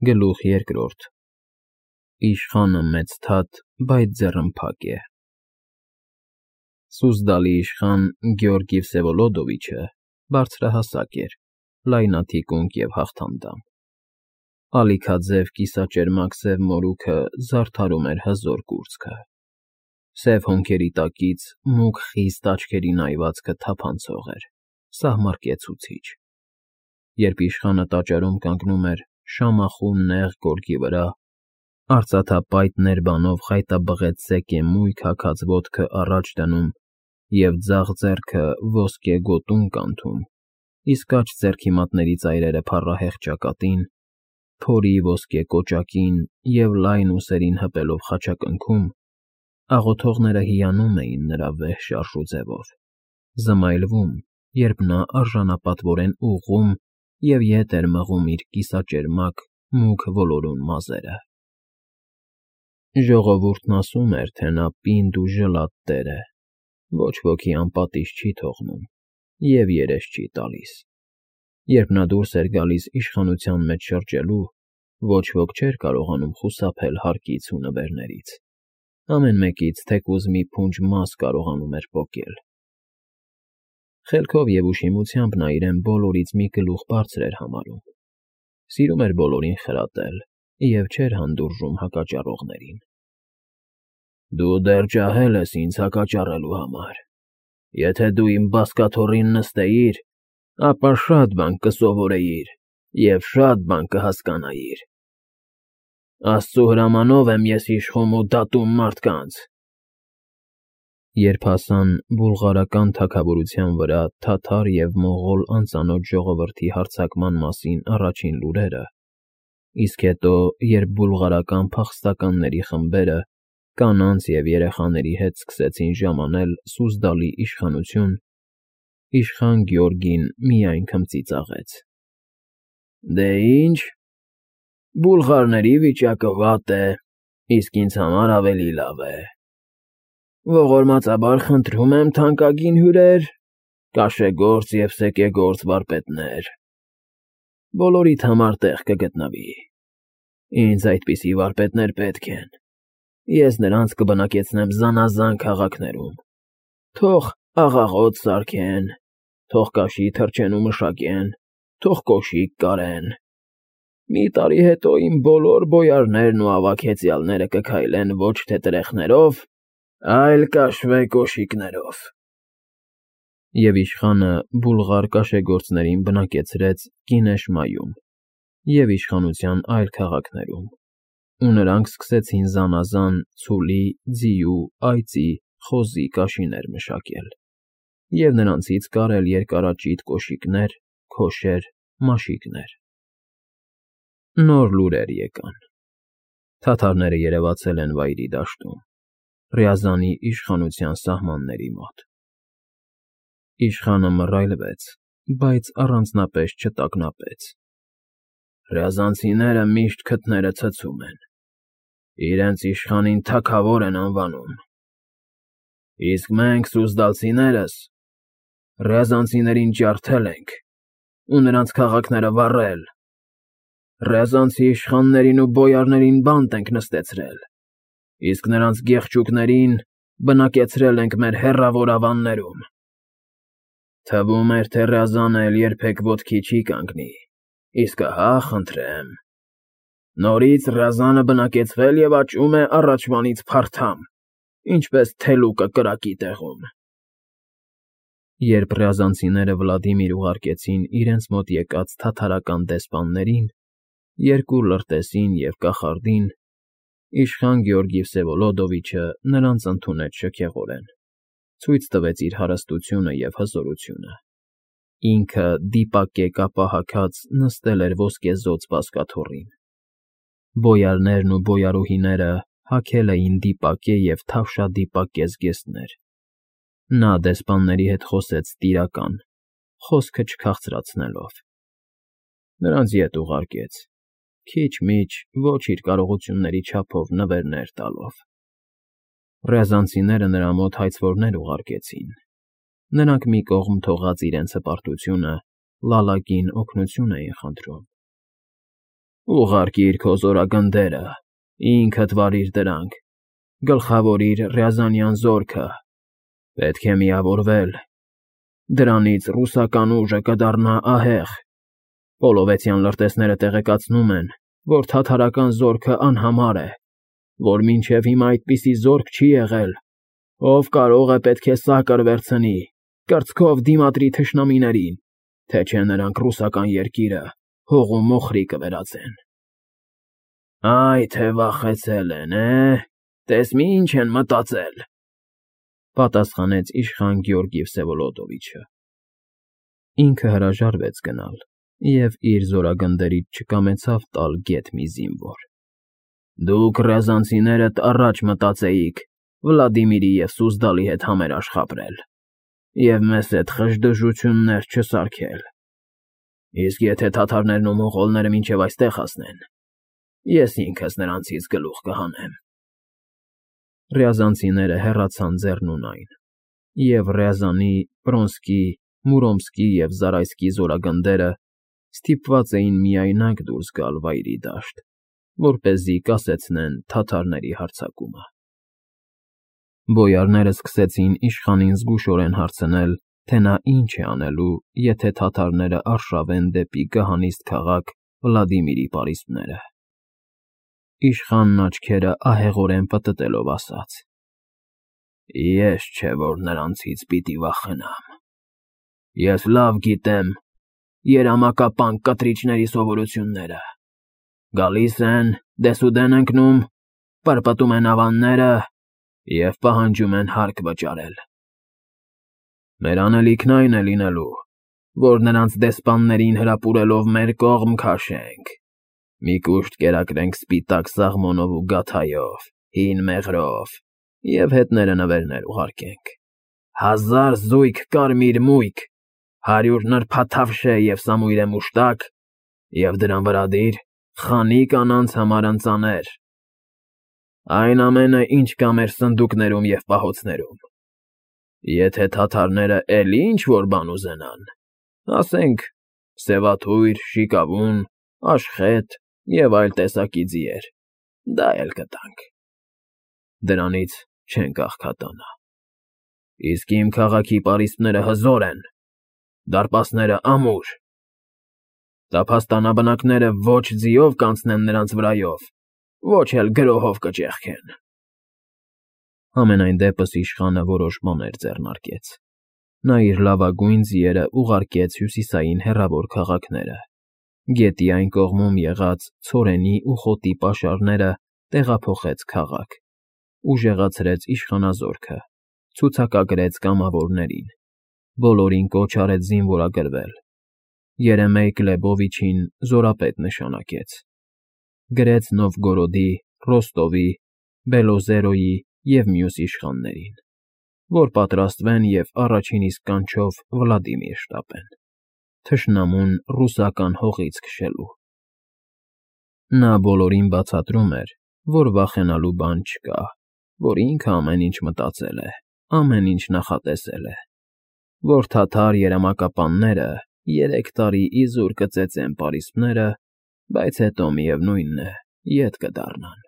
Գլուխ երկրորդ Իշխանը մեծ թաթ, բայց ձեռնփակ է։ Սուզդալի իշխան Գեորգի Վսևոլոդովիչը բարձրահասակ էր, լայնաթիկունք և հաղթանդամ։ Ալիքաձև կիսաճերմակ սև մորուքը զարդարում էր հզոր կուրծքը։ Սև հոնքերի տակից մուգ խիստ աչքերի նայվածքը թափանցող էր, սահմռկեցուցիչ։ Երբ իշխանը տաճարում կանգնում էր շամախու նեղ գորգի վրա, արծաթապայտ ներբանով խայտաբղետ սեկեմույթ հագած ոտքը առաջ դնում և ձախ ձեռքը ոսկե գոտուն կանթում, իսկ աջ ձեռքի մատների ծայրերը փառահեղ ճակատին, փորի ոսկե կոճակին և լայն ուսերին հպելով խաչակնքում, աղոթողները հիանում էին նրա վեհ շարժուձևով, զմայլվում, երբ նա արժանապատվորեն ուղղում և ետ էր մղում իր կիսաճերմակ մուգ ոլորուն մազերը։ Ժողովուրդն ասում էր, թե նա պինդ ու ժլատ տեր է, ոչ ոքի անպատիժ չի թողնում և երես չի տալիս։ Երբ նա դուրս էր գալիս իշխանության մեջ շրջելու, ոչ ոք չէր կարողանում խուսափել հարկից ու նվերներից, ամեն մեկից թեկուզ մի փունջ մաս կարողանում էր պոկել։ Խելքով և ուշիմությամբ նա իրեն բոլորից մի գլուխ բարձր էր համարում, սիրում էր բոլորին խրատել և չէր հանդուրժում հակաճառողներին։ Դու դեռ ջահել ես ինձ հակաճառելու համար։ Եթե դու իմ բազկաթոռին նստեիր, ապա շատ բան կսովորեիր և շատ բան կհասկանայիր։ Աստծու հրամանով եմ ես իշխում ու դատում մարդկանց։ Երբ հասան բուլղարական թագավորության վրա թաթար և մոնղոլ անծանոթ ժողովրդի հարձակման մասին առաջին լուրերը, իսկ հետո, երբ բուլղարական փախստականների խմբերը կանանց և երեխաների հետ սկսեցին ժամանել Սուզդալի իշխանություն, իշխան Գեորգին միայն քմծիծաղեց. Դե ինչ, բուլղարների վիճակը վատ է, իսկ ինձ համար ավելի լավ է։ Ողորմածաբար խնդրում եմ, թանկագին հյուրեր, կաշեգործ և սեկեգործ վարպետներ, բոլորիդ համար տեղ կգտնվի։ Ինձ այդպիսի վարպետներ պետք են։ Ես նրանց կբնակեցնեմ զանազան քաղաքներում, թող աղաղոտ սարքեն, թող կաշի թռչեն ու մշակեն, թող կոշիկ կարեն։ Մի տարի հետո իմ բոլոր բոյարներն ու ավագ֊հեծյալները կքայլեն ոչ թե տրեխներով, այլ կաշվե֊կոշիկներով։ Եվ իշխանը բուլղար կաշեգործներին բնակեցրեց Կինեշմայում և իշխանության այլ քաղաքներում, ու նրանք սկսեցին զանազան ցուլի, ձիու, այծի, խոզի կաշիներ մշակել և նրանցից կարել երկարաճիտ կոշիկներ, քոշեր, մաշիկներ։ Նոր լուրեր եկան. թաթարները երևացել են Վայրի դաշտում, Ռյազանի իշխանության սահմանների մոտ։ Իշխանը մռայլվեց, բայց առանձնապես չտագնապեց։ Ռյազանցիները միշտ քթները ցցում են, իրենց իշխանին թագավոր են անվանում։ Իսկ մենք, սուզդալցիներս, ռյազանցիներին ջարդել ենք ու նրանց քաղաքները վառել, ռյազանցի իշխաններին ու բոյարներին բանտ ենք նստեցրել, իսկ նրանց գեղչուկներին բնակեցրել ենք մեր հեռավոր ավաններում։ Թվում էր, թե Ռյազանը էլ երբեք ոտքի չի կանգնի, իսկ ահա, խնդրեմ, նորից Ռյազանը բնակեցվել և աճում է առաջվանից փարթամ, ինչպես թելուկը կրակի տեղում։ Երբ ռյազանցիները Վլադիմիր ուղարկեցին իրենց մոտ եկած թաթարական դեսպաններին, երկու լրտեսին և կախարդին, իշխան Գեորգի Վսևոլոդովիչը նրանց ընդունեց շքեղորեն, ցույց տվեց իր հարստությունը և հզորությունը։ Ինքը դիպակե կապա հագած նստել էր ոսկեզօծ բազկաթոռին։ Բոյարներն ու բոյարուհիները հագել էին դիպակե և թավշադիպակե զգեստներ։ Նա դեսպանների հետ խոսեց տիրական, խոսքը չքաղցրացնելով։ Նրանց ետ ուղարկեց, քիչ֊միչ ոչ իր կարողությունների չափով նվերներ տալով։ Ռյազանցիները նրա մոտ հայցվորներ ուղարկեցին։ Նրանք մի կողմ թողած իրենց հպարտությունը, լալակին օգնություն էին խնդրում։ Ուղարկիր քո զորագնդերը, ինքդ վարիր դրանք, գլխավորիր Ռյազանյան զորքը, պետք է միավորվել, դրանից ռուսական ուժը կդառնա ահեղ, Պոլովեցյան լրտեսները տեղեկացնում են, որ թաթարական զորքը անհամար է, որ մինչև հիմա այդպիսի զորք չի եղել, ով կարող է պետք է սակր վերցնի, կրծքով դիմադրի թշնամիներին, թե չէ նրանք ռուսական երկիրը հող ու մոխրի կվերածեն։ Այ թե վախեցել են, տես մի ինչ են մտածել, պատասխանեց իշխան Գեորգի Վսևոլոդովիչը։ Ինքը հրաժարվեց գնալ և իր զորագնդերից չկամեցավ տալ գետ մի զինվոր։ Դուք ռязանցիներդ առաջ մտածեիք Վլադիմիրի և Սուզդալի հետ համերաշխապրել և մեզ հետ խժդժություններ չսարքել։ Իսկ եթե թաթարներն ու մոնղոլները մինչև այստեղ հասնեն, ես ինքս նրանցից գլուխ կհանեմ։ Ռязանցիները հեռացան ձեռնունայն, և Ռյազանի, Պրոնսկի, Մուրոմսկի և Զարայսկի զորագնդերը ստիպված էին միայնակ դուրս գալ վայրի դաշտ, որպեսզի կասեցնեն թաթարների հարձակումը։ Բոյարները սկսեցին իշխանին զգուշորեն հարցնել, թե նա ինչ է անելու, եթե թաթարները արշավեն դեպի գահանիստ քաղաք Վլադիմիրի պարիսպները։ Իշխանն աչքերը ահեղորեն պտտելով ասաց. Ես չէ, որ նրանցից պիտի վախենամ։ Ես լավ գիտեմ երամակապան կտրիչների սովորությունները։ Գալիս են, դեսուդեն ընկնում, պրպտում են ավանները և պահանջում են հարկ վճարել։ Մեր անելիքն այն է լինելու, որ նրանց դեսպաններին հրապուրելով մեր կողմ քաշենք, մի կուշտ կերակրենք սպիտակ սաղմոնով ու գաթայով, հին մեղրով և հետները նվերներ ուղարկենք, 1000 զույգ կարմիր մույկ, 100 նրբաթավշե և սամույրե մուշտակ և դրան վրա դիր խանի կանանց համար ընծաներ, այն ամենը, ինչ կա մեր սնդուկներում և պահոցներում։ Եթե թաթարները էլի ինչ-որ բան ուզենան, ասենք սևաթույր, շիկավուն, աշխետ և այլ տեսակի ձիեր, դա էլ կտանք։ Դրանից չենք աղքատանա։ Իսկ իմ քաղաքի պարիսպները հզոր են, դարպասները ամուր, տափաստանաբնակները ոչ ձիով կանցնեն նրանց վրայով, ոչ էլ գրոհով կճեղքեն։ Համենայն դեպս իշխանը որոշ բաներ ձեռնարկեց։ Նա իր լավագույն ձիերը ուղարկեց հյուսիսային հեռավոր քաղաքները, գետի այն կողմում եղած ցորենի ու խոտի պաշարները տեղափոխեց քաղաք, ուժեղացրեց իշխանազորքը, ցուցակագրեց կամավորներին, բոլորին կոչ արեց զինվորագրվել, Երեմեյ Գլեբովիչին զորապետ նշանակեց, գրեց Նովգորոդի, Ռոստովի, Բելոզերոյի և մյուս իշխաններին, որ պատրաստվեն և առաջին իսկ կանչով Վլադիմիր շտապեն, թշնամուն ռուսական հողից քշելու։ Նա բոլորին բացատրում էր, որ վախենալու բան չկա, որ ինքը ամեն ինչ մտածել է, ամեն ինչ նախատեսել է, որ թաթար երամակապանները 3 տարի իզուր կծեծեն պարիսպները, բայց հետո, միևնույն է, ետ կդառնան։